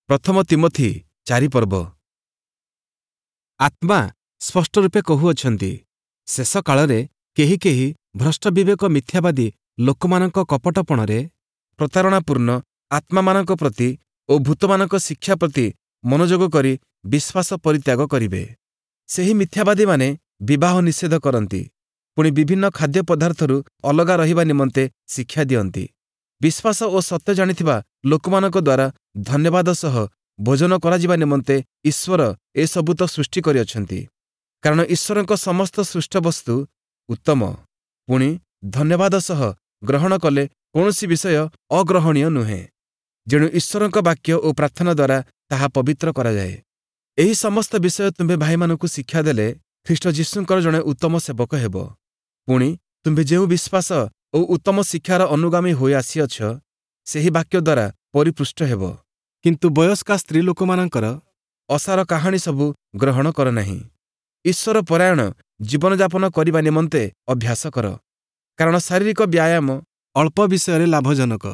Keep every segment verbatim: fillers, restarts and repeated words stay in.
ପ୍ରଥମ ତୀମଥି ଚାରି ପର୍ବ। ଆତ୍ମା ସ୍ପଷ୍ଟ ରୂପେ କହୁଅଛନ୍ତି, ଶେଷ କାଳରେ କେହି କେହି ଭ୍ରଷ୍ଟ ବିବେକ ମିଥ୍ୟାବାଦୀ ଲୋକମାନଙ୍କ କପଟପଣରେ ପ୍ରତାରଣାପୂର୍ଣ୍ଣ ଆତ୍ମାମାନଙ୍କ ପ୍ରତି ଓ ଭୂତମାନଙ୍କ ଶିକ୍ଷା ପ୍ରତି ମନୋଯୋଗ କରି ବିଶ୍ୱାସ ପରିତ୍ୟାଗ କରିବେ। ସେହି ମିଥ୍ୟାବାଦୀମାନେ ବିବାହ ନିଷେଧ କରନ୍ତି, ପୁଣି ବିଭିନ୍ନ ଖାଦ୍ୟ ପଦାର୍ଥରୁ ଅଲଗା ରହିବା ନିମନ୍ତେ ଶିକ୍ଷା ଦିଅନ୍ତି। ବିଶ୍ୱାସ ଓ ସତ୍ୟ ଜାଣିଥିବା ଲୋକମାନଙ୍କ ଦ୍ୱାରା ଧନ୍ୟବାଦ ସହ ଭୋଜନ କରାଯିବା ନିମନ୍ତେ ଈଶ୍ୱର ଏସବୁ ତ ସୃଷ୍ଟି କରିଅଛନ୍ତି। କାରଣ ଈଶ୍ୱରଙ୍କ ସମସ୍ତ ସୃଷ୍ଟ ବସ୍ତୁ ଉତ୍ତମ, ପୁଣି ଧନ୍ୟବାଦ ସହ ଗ୍ରହଣ କଲେ କୌଣସି ବିଷୟ ଅଗ୍ରହଣୀୟ ନୁହେଁ। ଯେଣୁ ଈଶ୍ୱରଙ୍କ ବାକ୍ୟ ଓ ପ୍ରାର୍ଥନା ଦ୍ୱାରା ତାହା ପବିତ୍ର କରାଯାଏ। ଏହି ସମସ୍ତ ବିଷୟ ତୁମ୍ଭେ ଭାଇମାନଙ୍କୁ ଶିକ୍ଷା ଦେଲେ ଖ୍ରୀଷ୍ଟ ଯୀଶୁଙ୍କର ଜଣେ ଉତ୍ତମ ସେବକ ହେବ। ପୁଣି ତୁମ୍ଭେ ଯେଉଁ ବିଶ୍ୱାସ ଓ ଉତ୍ତମ ଶିକ୍ଷାର ଅନୁଗାମୀ ହୋଇ ଆସିଅଛ, ସେହି ବାକ୍ୟ ଦ୍ୱାରା ପରିପୃଷ୍ଟ ହେବ। କିନ୍ତୁ ବୟସ୍କା ସ୍ତ୍ରୀ ଲୋକମାନଙ୍କର ଅସାର କାହାଣୀ ସବୁ ଗ୍ରହଣ କର ନାହିଁ। ଈଶ୍ୱର ପରାୟଣ ଜୀବନଯାପନ କରିବା ନିମନ୍ତେ ଅଭ୍ୟାସ କର। କାରଣ ଶାରୀରିକ ବ୍ୟାୟାମ ଅଳ୍ପ ବିଷୟରେ ଲାଭଜନକ,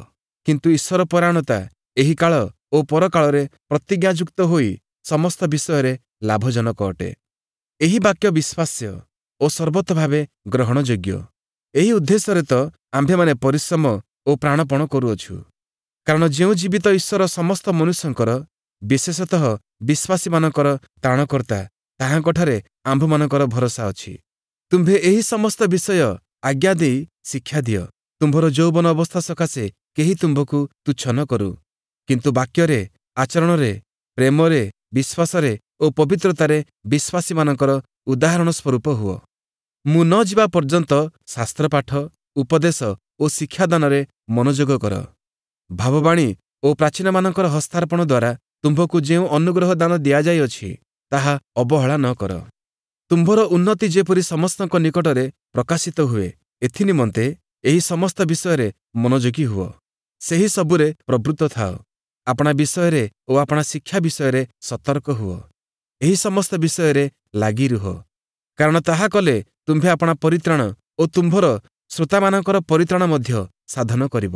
କିନ୍ତୁ ଈଶ୍ୱର ପରାୟଣତା ଏହି କାଳ ଓ ପରକାଳରେ ପ୍ରତିଜ୍ଞାଯୁକ୍ତ ହୋଇ ସମସ୍ତ ବିଷୟରେ ଲାଭଜନକ ଅଟେ। ଏହି ବାକ୍ୟ ବିଶ୍ୱାସ୍ୟ ଓ ସର୍ବତୋଭାବେ ଗ୍ରହଣଯୋଗ୍ୟ। ଏହି ଉଦ୍ଦେଶ୍ୟରେ ତ ଆମ୍ଭେମାନେ ପରିଶ୍ରମ ଓ ପ୍ରାଣପଣ କରୁଅଛୁ। କାରଣ ଯେଉଁ ଜୀବିତ ଈଶ୍ୱର ସମସ୍ତ ମନୁଷ୍ୟଙ୍କର, ବିଶେଷତଃ ବିଶ୍ୱାସୀମାନଙ୍କର ତ୍ରାଣକର୍ତ୍ତା, ତାହାଙ୍କଠାରେ ଆମ୍ଭମାନଙ୍କର ଭରସା ଅଛି। ତୁମ୍ଭେ ଏହି ସମସ୍ତ ବିଷୟ ଆଜ୍ଞା ଦେଇ ଶିକ୍ଷା ଦିଅ। ତୁମ୍ଭର ଯୌବନ ଅବସ୍ଥା ସକାଶେ କେହି ତୁମ୍ଭକୁ ତୁଚ୍ଛ ନ କରୁ, କିନ୍ତୁ ବାକ୍ୟରେ, ଆଚରଣରେ, ପ୍ରେମରେ, ବିଶ୍ୱାସରେ ଓ ପବିତ୍ରତାରେ ବିଶ୍ୱାସୀମାନଙ୍କର ଉଦାହରଣ ସ୍ୱରୂପ ହୁଅ। ମୁଁ ନ ଯିବା ପର୍ଯ୍ୟନ୍ତ ଶାସ୍ତ୍ରପାଠ, ଉପଦେଶ ଓ ଶିକ୍ଷାଦାନରେ ମନୋଯୋଗ କର। ଭାବବାଣୀ ଓ ପ୍ରାଚୀନମାନଙ୍କର ହସ୍ତାର୍ପଣ ଦ୍ୱାରା ତୁମ୍ଭକୁ ଯେଉଁ ଅନୁଗ୍ରହ ଦାନ ଦିଆଯାଇଅଛି, ତାହା ଅବହେଳା ନ କର। ତୁମ୍ଭର ଉନ୍ନତି ଯେପରି ସମସ୍ତଙ୍କ ନିକଟରେ ପ୍ରକାଶିତ ହୁଏ, ଏଥିନିମନ୍ତେ ଏହି ସମସ୍ତ ବିଷୟରେ ମନୋଯୋଗୀ ହୁଅ। ସେହି ସବୁରେ ପ୍ରବୃତ୍ତ ଥାଅ। ଆପଣା ବିଷୟରେ ଓ ଆପଣା ଶିକ୍ଷା ବିଷୟରେ ସତର୍କ ହୁଅ। ଏହି ସମସ୍ତ ବିଷୟରେ ଲାଗି ରୁହ, କାରଣ ତାହା କଲେ ତୁମ୍ଭେ ଆପଣା ପରିତ୍ରାଣ ଓ ତୁମ୍ଭର ଶ୍ରୋତାମାନଙ୍କର ପରିତ୍ରାଣ ମଧ୍ୟ ସାଧନ କରିବ।